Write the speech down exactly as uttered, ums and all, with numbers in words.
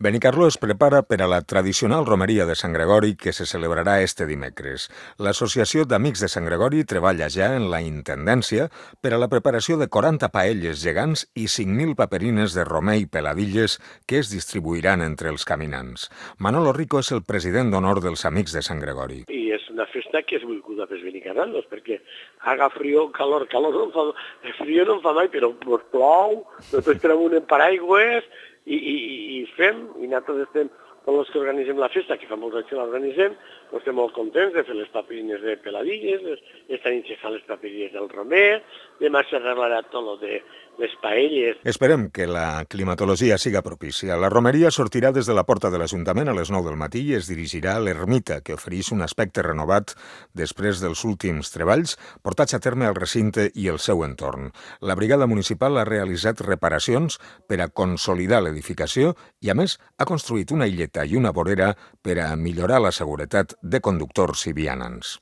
Benicarló es prepara per a la tradicional romeria de Sant Gregori que se celebrarà este dimecres. L'Associació d'Amics de Sant Gregori treballa ja en la intendència per a la preparació de quaranta paelles gegants i cinc mil paperines de romer i peladilles que es distribuiran entre els caminants. Manolo Rico és el president d'honor dels Amics de Sant Gregori. I és una festa que és volguda pels benicarranos, perquè haga frío, calor, calor no em fa, frío no em fa mai, però pues, plou, nosaltres tenim un paraigües, i, i, i fem, i nosaltres estem, tots els que organitzem la festa, que fa molts anys que l'organitzem, doncs estem molt contents de fer les papirines de peladilles, les, esta nit se fan les papirines del romer, demà s'arreglarà tot lo de les paelles. Esperem que la climatologia siga propícia. La romeria sortirà des de la porta de l'Ajuntament a les nou del matí i es dirigirà a l'ermita, que ofereix un aspecte renovat després dels últims treballs portats a terme al recinte i el seu entorn. La brigada municipal ha realitzat reparacions per a consolidar l'edificació i, a més, ha construït una illeta i una vorera per a millorar la seguretat de conductors i vianants.